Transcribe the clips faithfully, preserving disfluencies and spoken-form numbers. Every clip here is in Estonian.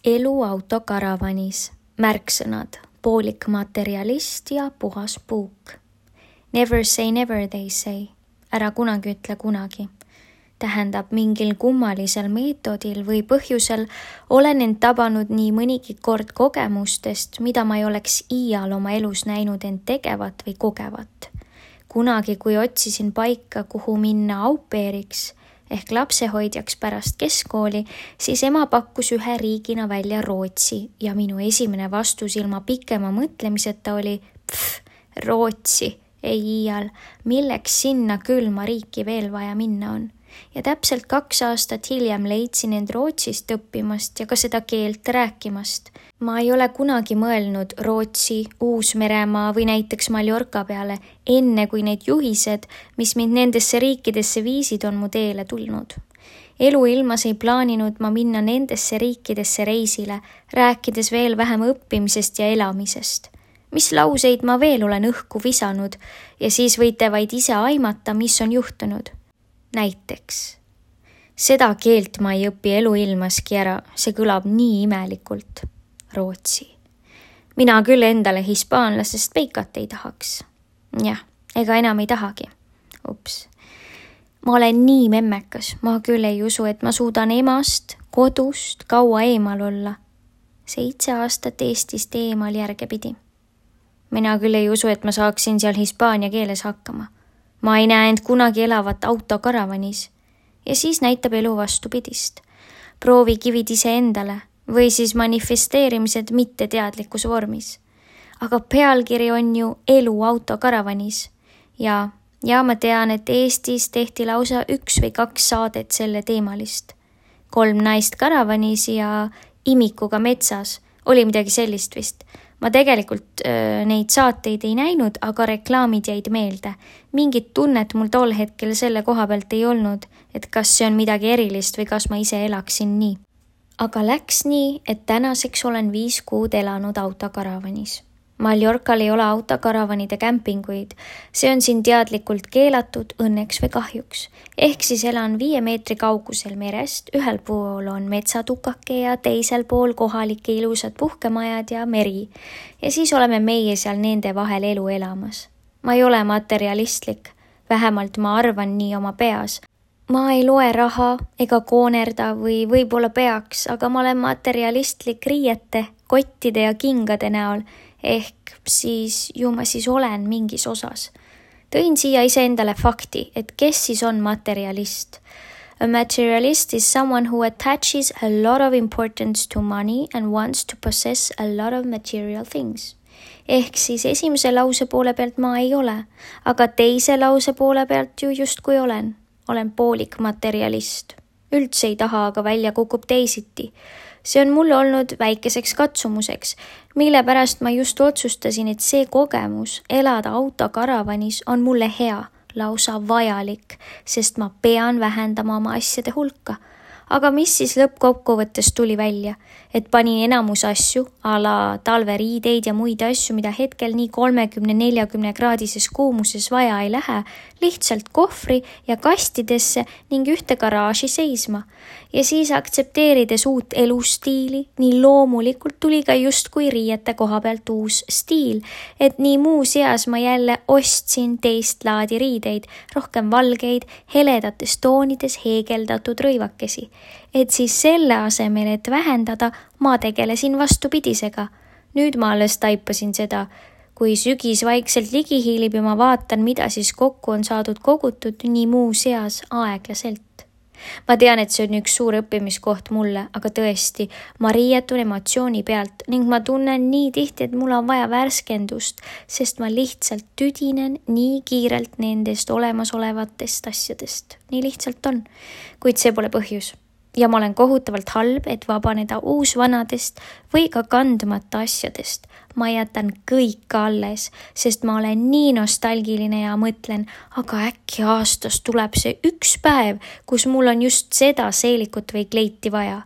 Elu autokaravanis, märksõnad, poolik materialist ja puhas puuk. Never say never, they say. Ära kunagi ütle kunagi. Tähendab, mingil kummalisel meetodil või põhjusel olen end tabanud nii mõnigi kord kogemustest, mida ma ei oleks iial oma elus näinud end tegevat või kogevat. Kunagi, kui otsisin paika, kuhu minna aupeeriks ehk lapsehoidjaks pärast keskkooli, siis ema pakkus ühe riigina välja Rootsi ja minu esimene vastus ilma pikema mõtlemiseta oli pff, Rootsi, ei iial, milleks sinna külma riiki veel vaja minna on. Ja täpselt kaks aastat hiljem leidsin end Rootsist õppimast ja ka seda keelt rääkimast. Ma ei ole kunagi mõelnud Rootsi, Uus-Meremaa või näiteks Mallorca peale, enne kui need juhised, mis mind nendesse riikidesse viisid, on mu teele tulnud. Elu ilmas ei plaaninud ma minna nendesse riikidesse reisile, rääkides veel vähem õppimisest ja elamisest. Mis lauseid ma veel olen õhku visanud ja siis võite vaid ise aimata, mis on juhtunud. Näiteks, seda keelt ma ei õpi elu ilmaski ära, see kõlab nii imelikult. Rootsi. Mina küll endale hispaanlasest peikat ei tahaks. Jah, ega enam ei tahagi. Ups. Ma olen nii memmekas, ma küll ei usu, et ma suudan emast, kodust kaua eemal olla. Seitse aastat Eestist eemal järgepidi. Mina küll ei usu, et ma saaksin seal hispaania keeles hakkama. Ma ei näe end kunagi elavat autokaravanis ja siis näitab elu vastupidist. Proovi kivid ise endale või siis manifesteerimised mitteteadlikus vormis. Aga pealkiri on ju elu autokaravanis ja, ja ma tean, et Eestis tehti lausa üks või kaks saadet selle teemalist. Kolm naist karavanis ja imikuga metsas oli midagi sellist vist. Ma tegelikult öö, neid saateid ei näinud, aga reklaamid jäid meelde. Mingit tunnet mul tol hetkel selle koha pealt ei olnud, et kas see on midagi erilist või kas ma ise elaksin nii. Aga läks nii, et tänaseks olen viis kuud elanud autokaravanis. Mallorcal ei ole autokaravanide kämpinguid. See on siin teadlikult keelatud õnneks või kahjuks. Ehk siis elan viie meetri kaugusel merest, ühel pool on metsatukake ja teisel pool kohalike ilusad puhkemajad ja meri. Ja siis oleme meie seal nende vahel elu elamas. Ma ei ole materialistlik, vähemalt ma arvan nii oma peas. Ma ei loe raha ega koonerda või võib-olla peaks, aga ma olen materialistlik riiete, kottide ja kingade näol. Ehk siis ju ma siis olen mingis osas. Tõin siia iseendale fakti, et kes siis on materialist. A materialist is someone who attaches a lot of importance to money and wants to possess a lot of material things. Ehk siis esimese lause poole pealt ma ei ole, aga teise lause poole pealt ju justkui olen. Olen poolik materialist. Üldse ei taha, aga välja kukub teisiti. See on mulle olnud väikeseks katsumuseks, mille pärast ma just otsustasin, et see kogemus elada autokaravanis on mulle hea, lausa vajalik, sest ma pean vähendama oma asjade hulka. Aga mis siis lõppkokkuvõttes tuli välja, et panin enamus asju, ala talveriideid ja muid asju, mida hetkel nii kolmekümne neljakümne kraadises kuumuses vaja ei lähe, lihtsalt kohvri ja kastidesse ning ühte garaaži seisma. Ja siis aktsepteerides uut elustiili, nii loomulikult tuli ka justkui riiete koha pealt uus stiil, et nii muu seas ma jälle ostsin teist laadi riideid, rohkem valgeid, heledates toonides heegeldatud rõivakesi. Et siis selle asemel, et vähendada, ma tegelesin vastupidisega. Nüüd ma alles taipasin seda, kui sügis vaikselt ligi hiilib ja ma vaatan, mida siis kokku on saadud kogutud nii muu seas aeglaselt. Ma tean, et see on üks suur õppimiskoht mulle, aga tõesti, ma riietun emotsiooni pealt ning ma tunnen nii tihti, et mul on vaja värskendust, sest ma lihtsalt tüdinen nii kiirelt nendest olemasolevatest asjadest. Nii lihtsalt on, kuid see pole põhjus. Ja ma olen kohutavalt halb, et vabaneda uusvanadest või ka kandmata asjadest. Ma jätan kõik alles, sest ma olen nii nostalgiline ja mõtlen, aga äkki aastas tuleb see üks päev, kus mul on just seda seelikut või kleiti vaja.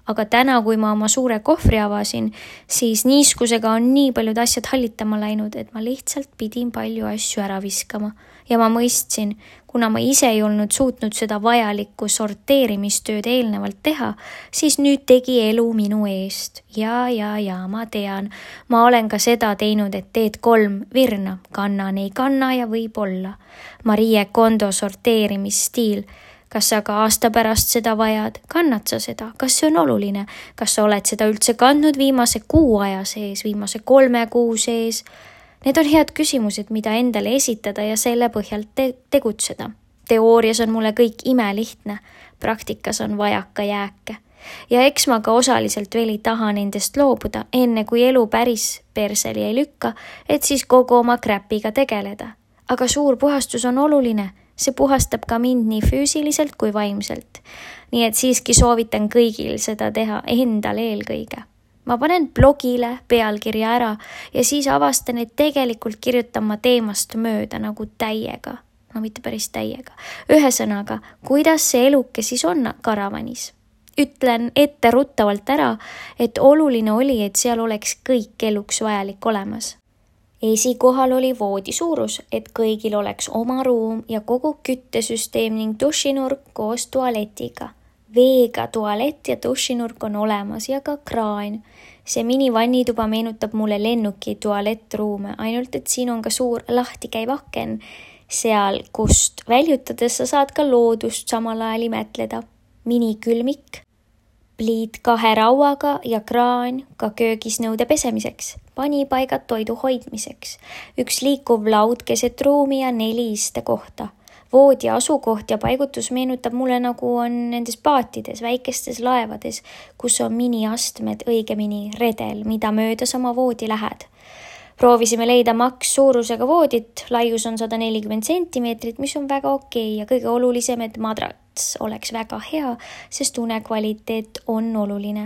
aga täna, kui ma oma suure kohvri avasin, siis niiskusega on nii paljud asjad hallitama läinud, et ma lihtsalt pidin palju asju ära viskama. Ja ma mõistsin, kuna ma ise ei olnud suutnud seda vajalikku sorteerimistööd eelnevalt teha, siis nüüd tegi elu minu eest. Ja, ja, ja, ma tean, ma olen ka seda teinud, et teed kolm virna, kannan, ei kanna ja võib olla. Marie Kondo sorteerimisstiil. Kas sa ka aasta pärast seda vajad? Kannad sa seda? Kas see on oluline? Kas sa oled seda üldse kandnud viimase kuu aja sees, viimase kolme kuu sees? Need on head küsimused, mida endale esitada ja selle põhjal te- tegutseda. Teoorias on mulle kõik imelihtne, praktikas on vajaka jääke. Ja eks ma ka osaliselt veel ei taha nendest loobuda, enne kui elu päris perseli ei lükka, et siis kogu oma kräpiga tegeleda. Aga suur puhastus on oluline, see puhastab ka mind nii füüsiliselt kui vaimselt. Nii et siiski soovitan kõigil seda teha endal eelkõige. Ma panen blogile pealkirja ära ja siis avastan, et tegelikult kirjutan ma teemast mööda nagu täiega. No mitte päris täiega. Ühesõnaga, kuidas see eluke siis on karavanis? Ütlen ette ruttavalt ära, et oluline oli, et seal oleks kõik eluks vajalik olemas. Esikohal oli voodi suurus, et kõigil oleks oma ruum ja kogu küttesüsteem ning dušinurk koos tualetiga. Veega tualett ja dušinurk on olemas ja ka kraan. See minivannituba meenutab mulle lennuki tualettruume, ainult et siin on ka suur lahtikäiv aken. Seal, kust väljutades sa saad ka loodust samal ajal imetleda. Minikülmik, pliit kahe rauaga ja kraan ka köögis nõude pesemiseks. Panipaigad toidu hoidmiseks. Üks liikuv laud keset ruumi ja neli istekohta. Voodi asukoht ja paigutus meenutab mulle nagu on nendes paatides, väikestes laevades, kus on miniastmed, õigemini redel, mida mööda sama voodi lähed. Proovisime leida maks suurusega voodit, laius on sada nelikümmend sentimeetrit, mis on väga okei ja kõige olulisem, et madrats oleks väga hea, sest unekvaliteet on oluline.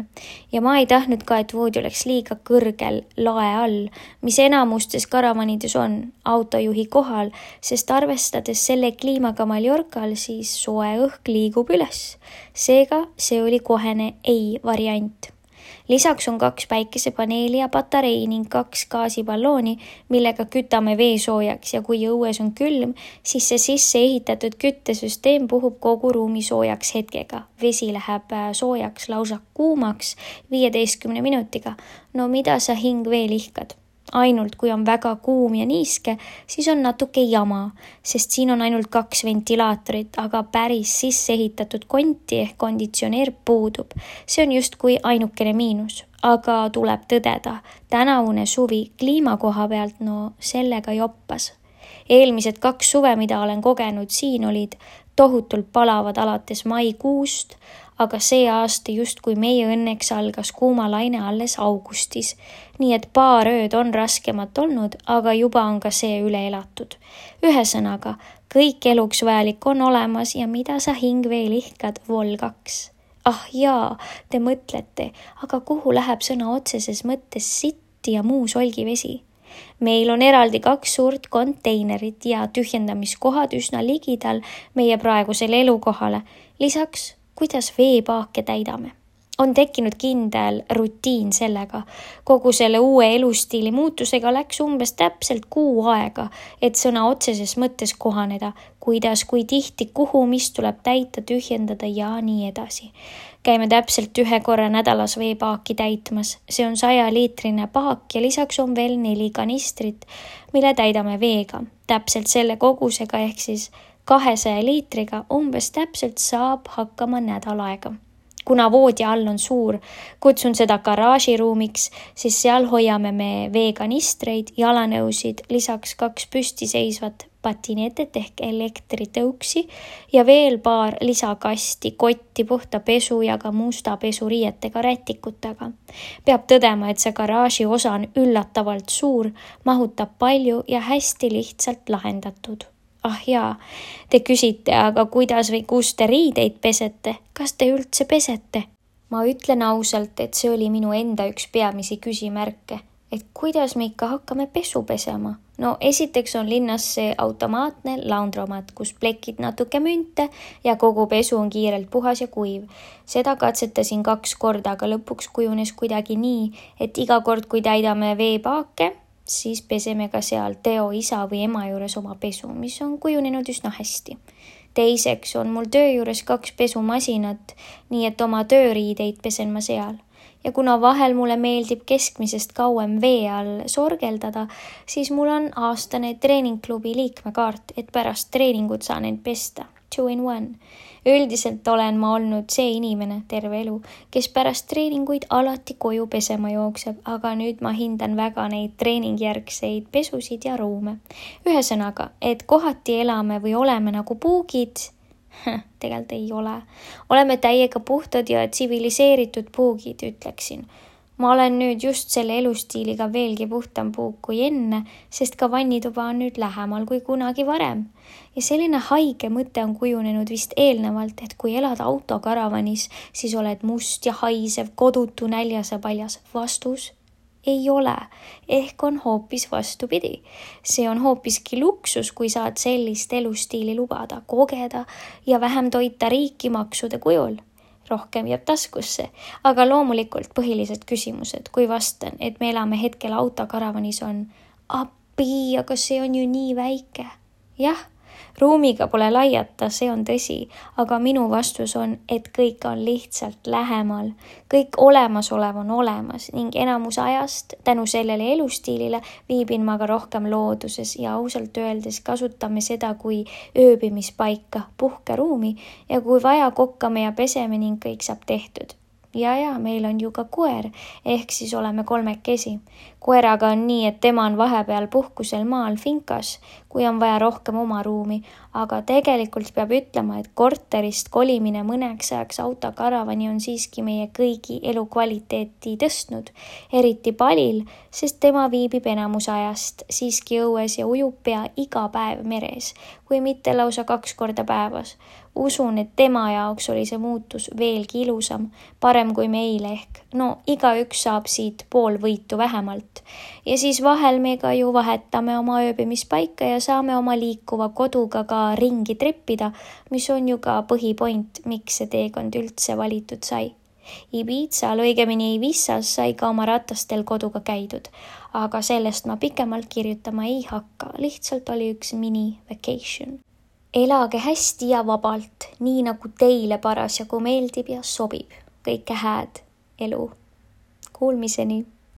Ja ma ei tahtnud ka, et voodi oleks liiga kõrgel lae all, mis enamustes karavanides on autojuhi kohal, sest arvestades selle kliimaga Mallorcal, siis soe õhk liigub üles. Seega see oli kohene ei variant. Lisaks on kaks päikesepaneeli ja patarei ning kaks gaasiballooni, millega kütame vee soojaks ja kui õues on külm, siis see sisse ehitatud küttesüsteem puhub kogu ruumi soojaks hetkega. Vesi läheb soojaks lausa kuumaks viieteistkümne minutiga. No mida sa hing veel ihkad? Ainult kui on väga kuum ja niiske, siis on natuke jama, sest siin on ainult kaks ventilaatorit, aga päris sisse ehitatud konti ehk konditsioneer puudub. See on just kui ainukene miinus, aga tuleb tõdeda, tänavune suvi kliima koha pealt, no sellega joppas. Eelmised kaks suve, mida olen kogenud siin, olid tohutult palavad alates maikuust, aga see aasta just kui meie õnneks algas kuuma laine alles augustis. Nii et paar ööd on raskemat olnud, aga juba on ka see üle elatud. Ühesõnaga, kõik eluks vajalik on olemas ja mida sa hing veel ihkad, vol kaks. Ah jaa, te mõtlete, aga kuhu läheb sõna otseses mõttes sitti ja muu solgivesi? Meil on eraldi kaks suurt konteinerit ja tühjendamiskohad üsna ligidal meie praegusele elukohale. Lisaks, kuidas veepaake täidame. On tekkinud kindel rutiin sellega. Kogu selle uue elustiili muutusega läks umbes täpselt kuu aega, et sõna otseses mõttes kohaneda, kuidas, kui tihti, kuhu, mis tuleb täita, tühjendada ja nii edasi. Käime täpselt ühe korra nädalas veepaaki täitmas. See on saja liitrine paak ja lisaks on veel neli kanistrit, mille täidame veega. Täpselt selle kogusega ehk siis kahesaja liitriga umbes täpselt saab hakkama nädal aega. Kuna voodi all on suur, kutsun seda garaažiruumiks, siis seal hoiame me veekanistreid, jalanõusid, lisaks kaks püstiseisvat patinetet ehk elektritõuksi ja veel paar lisakasti, kotti, puhta pesu ja ka musta pesuriietega rätikutega. Peab tõdema, et see garaaži osa on üllatavalt suur, mahutab palju ja hästi lihtsalt lahendatud. Ah jaa, te küsite, aga kuidas või kus te riideid pesete? Kas te üldse pesete? Ma ütlen ausalt, et see oli minu enda üks peamisi küsimärke, et kuidas me ikka hakkame pesu pesema. No esiteks on linnas see automaatne laundromat, kus plekid natuke münte ja kogu pesu on kiirelt puhas ja kuiv. Seda katsetasin kaks korda, aga lõpuks kujunes kuidagi nii, et iga kord, kui täidame veepaake, siis peseme ka seal Teo isa või ema juures oma pesu, mis on kujunenud üsna hästi. Teiseks on mul töö juures kaks pesumasinat, nii et oma tööriideid pesen ma seal. Ja kuna vahel mulle meeldib keskmisest kauem vee all sorgeldada, siis mul on aastane treeningklubi liikmekaart, et pärast treeningut saan end pesta. Two in one. Üldiselt olen ma olnud see inimene terve elu, kes pärast treeninguid alati koju pesema jookseb, aga nüüd ma hindan väga neid treeningjärgseid pesusid ja ruume. Ühesõnaga, et kohati elame või oleme nagu puugid, tegelikult ei ole. Oleme täiega puhtad ja tsiviliseeritud puugid, ütleksin. Ma olen nüüd just selle elustiiliga veelgi puhtam puug kui enne, sest ka vannituba on nüüd lähemal kui kunagi varem. Ja selline haige mõte on kujunenud vist eelnevalt, et kui elad autokaravanis, siis oled must ja haisev, kodutu, näljas ja paljas. Vastus ei ole, ehk on hoopis vastupidi. See on hoopiski luksus, kui saad sellist elustiili lubada, kogeda ja vähem toita riiki maksude kujul. Rohkem jääb taskusse, aga loomulikult põhilised küsimused, kui vastan, et me elame hetkel autokaravanis on appi, aga see on ju nii väike. Jah, ruumiga pole laiata, see on tõsi, aga minu vastus on, et kõik on lihtsalt lähemal. Kõik olemasolev on olemas ning enamus ajast tänu sellele elustiilile viibin ma ka rohkem looduses ja ausalt öeldes kasutame seda kui ööbimispaika, puhkeruumi ja kui vaja kokkame ja peseme ning kõik saab tehtud. Ja ja, meil on ju ka koer, ehk siis oleme kolmekesi. Koeraga on nii, et tema on vahepeal puhkusel maal finkas, kui on vaja rohkem oma ruumi, aga tegelikult peab ütlema, et korterist kolimine mõneks ajaks autokaravani on siiski meie kõigi elukvaliteeti tõstnud, eriti Palil, sest tema viibib enamus ajast siiski õues ja ujub pea iga päev meres, kui mitte lausa kaks korda päevas. Usun, et tema jaoks oli see muutus veelgi ilusam, parem kui meile ehk. No igaüks saab siit pool võitu vähemalt. Ja siis vahel me ka ju vahetame oma ööbimispaika ja saame oma liikuva koduga ka ringi treppida, mis on ju ka põhipoint, miks see teekond üldse valitud sai. Ibizal, õigemini Ibizas sai ka oma ratastel koduga käidud, aga sellest ma pikemalt kirjutama ei hakka, lihtsalt oli üks mini vacation. Elage hästi ja vabalt, nii nagu teile parasjagu meeldib ja sobib. Kõike hääd elu. Kuulmiseni!